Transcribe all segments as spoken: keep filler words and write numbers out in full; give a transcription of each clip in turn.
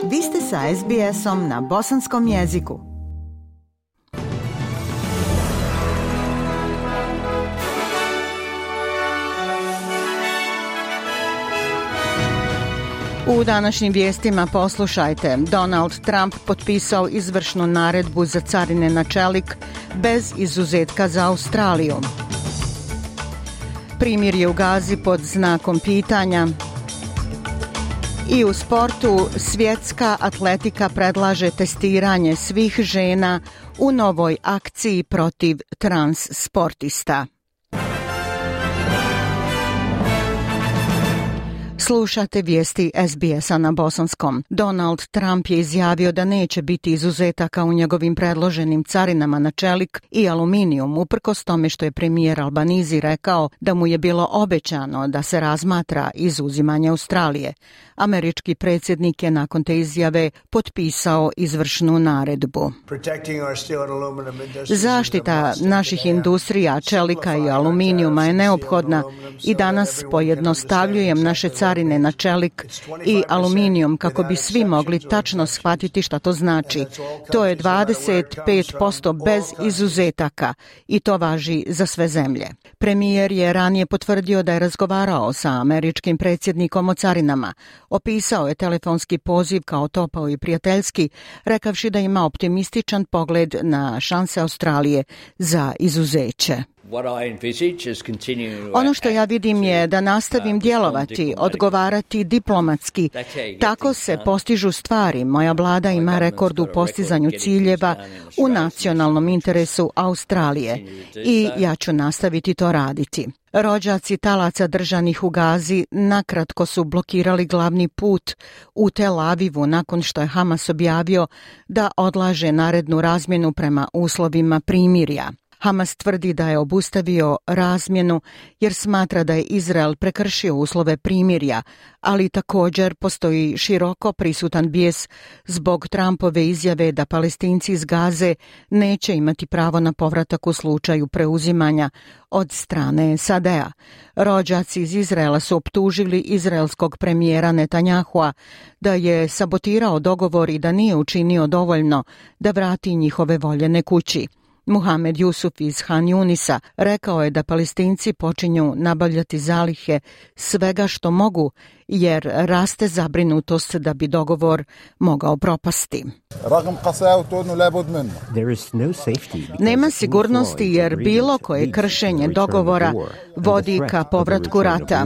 Vi ste sa es be esom na bosanskom jeziku. U današnjim vijestima poslušajte. Donald Trump potpisao izvršnu naredbu za carine na čelik bez izuzetka za Australiju. Primirje u Gazi pod znakom pitanja. I u sportu svjetska atletika predlaže testiranje svih žena u novoj akciji protiv trans sportista. Slušate vijesti es be esa na bosanskom. Donald Trump je izjavio da neće biti izuzetaka u njegovim predloženim carinama na čelik i aluminijum, uprkos tome što je premijer Albanizi rekao da mu je bilo obećano da se razmatra izuzimanje Australije. Američki predsjednik je nakon te izjave potpisao izvršnu naredbu. Zaštita naših industrija, čelika i aluminijuma je neophodna i danas pojednostavljujem naše carine na čelik i aluminijum kako bi svi mogli tačno shvatiti šta to znači. To je dvadeset pet posto bez izuzetaka i to važi za sve zemlje. Premijer je ranije potvrdio da je razgovarao sa američkim predsjednikom o carinama. Opisao je telefonski poziv kao topao i prijateljski, rekavši da ima optimističan pogled na šanse Australije za izuzeće. Ono što ja vidim je da nastavim djelovati, odgovarati diplomatski. Tako se postižu stvari. Moja vlada ima rekord u postizanju ciljeva u nacionalnom interesu Australije i ja ću nastaviti to raditi. Rođaci talaca držanih u Gazi nakratko su blokirali glavni put u Tel Avivu nakon što je Hamas objavio da odlaže narednu razmjenu prema uslovima primirja. Hamas tvrdi da je obustavio razmjenu jer smatra da je Izrael prekršio uslove primirja, ali također postoji široko prisutan bijes zbog Trumpove izjave da Palestinci iz Gaze neće imati pravo na povratak u slučaju preuzimanja od strane es a de a. Rođaci iz Izraela su optužili izraelskog premijera Netanjahua da je sabotirao dogovor i da nije učinio dovoljno da vrati njihove voljene kući. Muhamed Jusuf iz Han Junisa rekao je da Palestinci počinju nabavljati zalihe svega što mogu jer raste zabrinutost da bi dogovor mogao propasti. Nema sigurnosti jer bilo koje kršenje dogovora vodi ka povratku rata.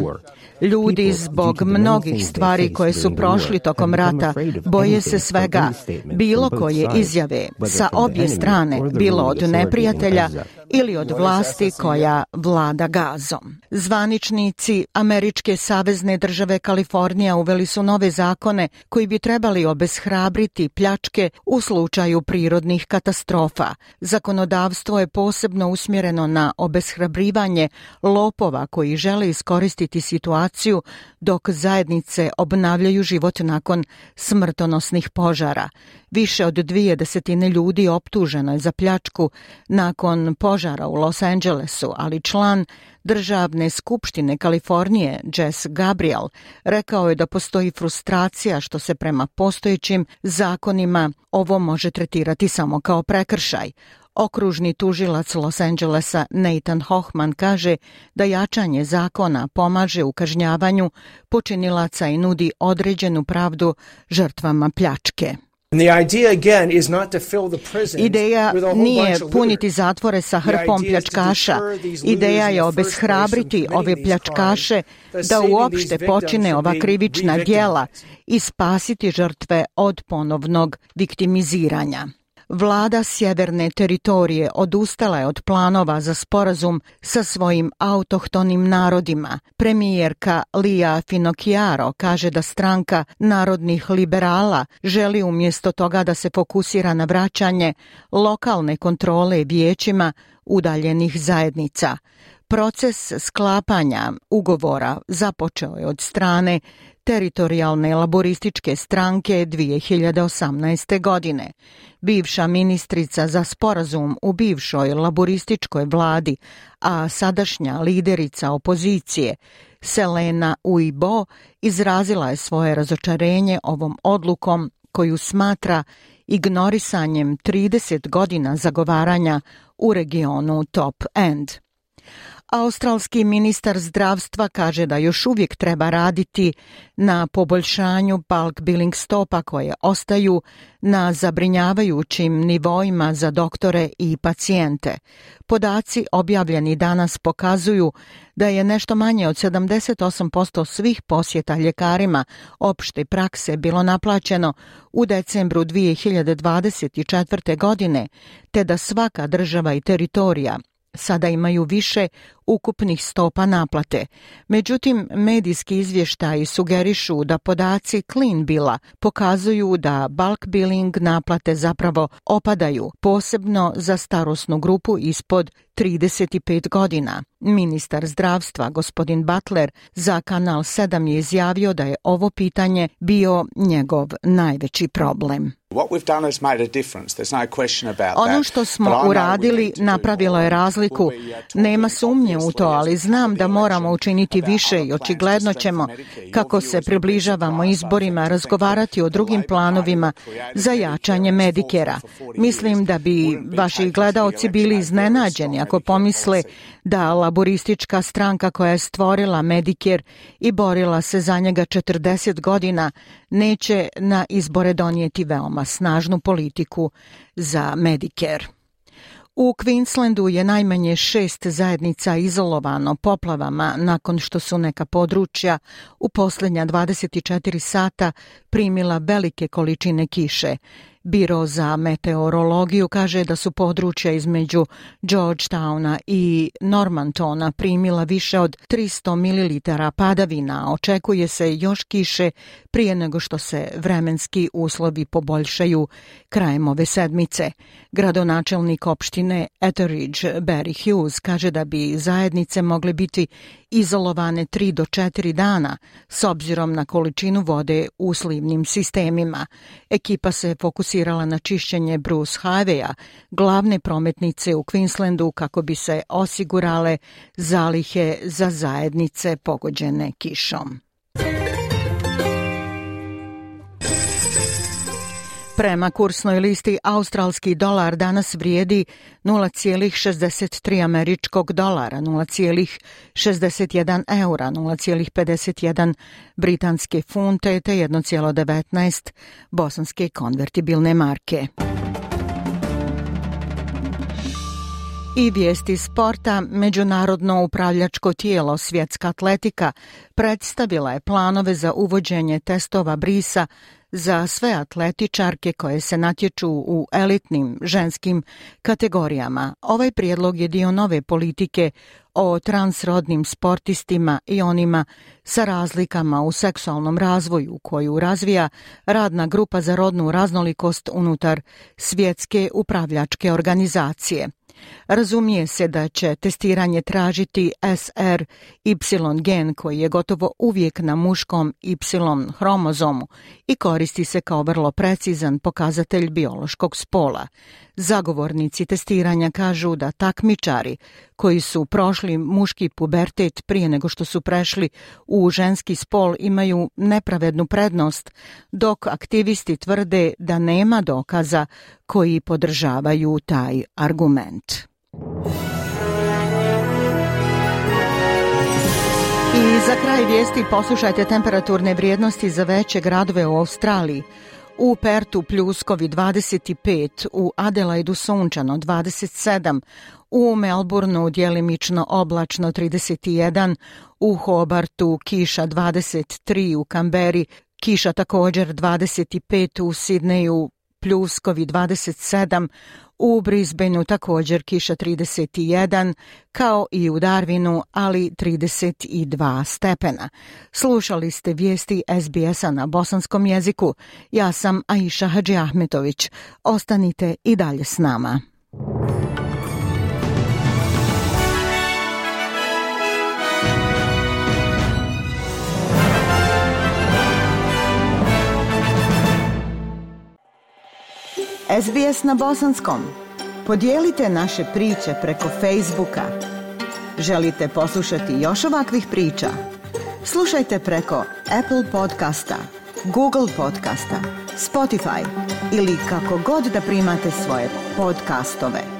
Ljudi zbog mnogih stvari koje su prošli tokom rata boje se svega, bilo koje izjave sa obje strane, bilo od neprijatelja ili od vlasti koja vlada Gazom. Zvaničnici Američke savezne države Kalifornija uveli su nove zakone koji bi trebali obeshrabriti pljačke u slučaju prirodnih katastrofa. Zakonodavstvo je posebno usmjereno na obeshrabrivanje lopova koji žele iskoristiti situaciju dok zajednice obnavljaju život nakon smrtonosnih požara. Više od dvije desetine ljudi optuženo je za pljačku nakon požara u Los Angelesu, ali član Državne skupštine Kalifornije, Jess Gabriel, rekao je da postoji frustracija što se prema postojećim zakonima ovo može tretirati samo kao prekršaj. Okružni tužilac Los Angelesa Nathan Hochman kaže da jačanje zakona pomaže u kažnjavanju počinilaca i nudi određenu pravdu žrtvama pljačke. Ideja nije puniti zatvore sa hrpom pljačkaša. Ideja je obeshrabriti ove pljačkaše da uopšte počine ova krivična djela i spasiti žrtve od ponovnog viktimiziranja. Vlada Sjeverne teritorije odustala je od planova za sporazum sa svojim autohtonim narodima. Premijerka Lia Finocchiaro kaže da stranka narodnih liberala želi umjesto toga da se fokusira na vraćanje lokalne kontrole vijećima udaljenih zajednica. Proces sklapanja ugovora započeo je od strane teritorijalne laborističke stranke dvije hiljade osamnaeste. godine. Bivša ministrica za sporazum u bivšoj laborističkoj vladi, a sadašnja liderica opozicije, Selena Uibo, izrazila je svoje razočarenje ovom odlukom koju smatra ignorisanjem trideset godina zagovaranja u regionu Top End. Australski ministar zdravstva kaže da još uvijek treba raditi na poboljšanju bulk billing stopa koje ostaju na zabrinjavajućim nivoima za doktore i pacijente. Podaci objavljeni danas pokazuju da je nešto manje od sedamdeset osam posto svih posjeta ljekarima opšte prakse bilo naplaćeno u decembru dvije hiljade dvadeset četvrte. godine, te da svaka država i teritorija sada imaju više ukupnih stopa naplate. Međutim, medijski izvještaji sugerišu da podaci Clean Billa pokazuju da bulk billing naplate zapravo opadaju, posebno za starosnu grupu ispod trideset pet godina. Ministar zdravstva, gospodin Butler, za Kanal sedam je izjavio da je ovo pitanje bio njegov najveći problem. Ono što smo uradili napravilo je razliku. Nema sumnje u to, ali znam da moramo učiniti više i očigledno ćemo, kako se približavamo izborima, razgovarati o drugim planovima za jačanje Medikera. Mislim da bi vaši gledaoci bili iznenađeni ako pomisle da laboristička stranka koja je stvorila Medicare i borila se za njega četrdeset godina neće na izbore donijeti veoma snažnu politiku za Medicare. U Queenslandu je najmanje šest zajednica izolovano poplavama nakon što su neka područja u posljednja dvadeset četiri sata primila velike količine kiše. Biro za meteorologiju kaže da su područja između Georgetowna i Normantona primila više od tristo mililitara padavina. Očekuje se još kiše prije nego što se vremenski uslovi poboljšaju krajem ove sedmice. Gradonačelnik opštine Etheridge, Barry Hughes, kaže da bi zajednice mogle biti izolovane tri do četiri dana s obzirom na količinu vode u slivnim sistemima. Ekipa se fokusirala na čišćenje Bruce Highwaya, glavne prometnice u Queenslandu, kako bi se osigurale zalihe za zajednice pogođene kišom. Prema kursnoj listi, australski dolar danas vrijedi nula zarez šezdeset tri američkog dolara, nula zarez šezdeset jedan eura, nula zarez pedeset jedan britanske funte te jedan zarez devetnaest bosanske konvertibilne marke. I vijesti sporta. Međunarodno upravljačko tijelo Svjetska atletika predstavila je planove za uvođenje testova brisa za sve atletičarke koje se natječu u elitnim ženskim kategorijama. Ovaj prijedlog je dio nove politike o transrodnim sportistima i onima sa razlikama u seksualnom razvoju koju razvija radna grupa za rodnu raznolikost unutar Svjetske upravljačke organizacije. Razumije se da će testiranje tražiti S R Y gen koji je gotovo uvijek na muškom Y hromozomu i koristi se kao vrlo precizan pokazatelj biološkog spola. Zagovornici testiranja kažu da takmičari koji su prošli muški pubertet prije nego što su prešli u ženski spol imaju nepravednu prednost, dok aktivisti tvrde da nema dokaza koji podržavaju taj argument. I za kraj vijesti poslušajte temperaturne vrijednosti za veće gradove u Australiji. U Pertu pljuskovi dvadeset pet, u Adelaidu sunčano dvadeset sedam, u Melbourneu djelimično oblačno trideset jedan, u Hobartu kiša dvadeset tri, u Kamberi kiša također dvadeset pet, u Sidneju pljuskovi dvadeset sedam, u Brisbaneu također kiša trideset jedan, kao i u Darwinu, ali trideset dva stepena. Slušali ste vijesti S B S-a na bosanskom jeziku. Ja sam Aisha Hadži Ahmetović. Ostanite i dalje s nama. S B S na bosanskom. Podijelite naše priče preko Facebooka. Želite poslušati još ovakvih priča? Slušajte preko Apple podcasta, Google podcasta, Spotify ili kako god da primate svoje podcastove.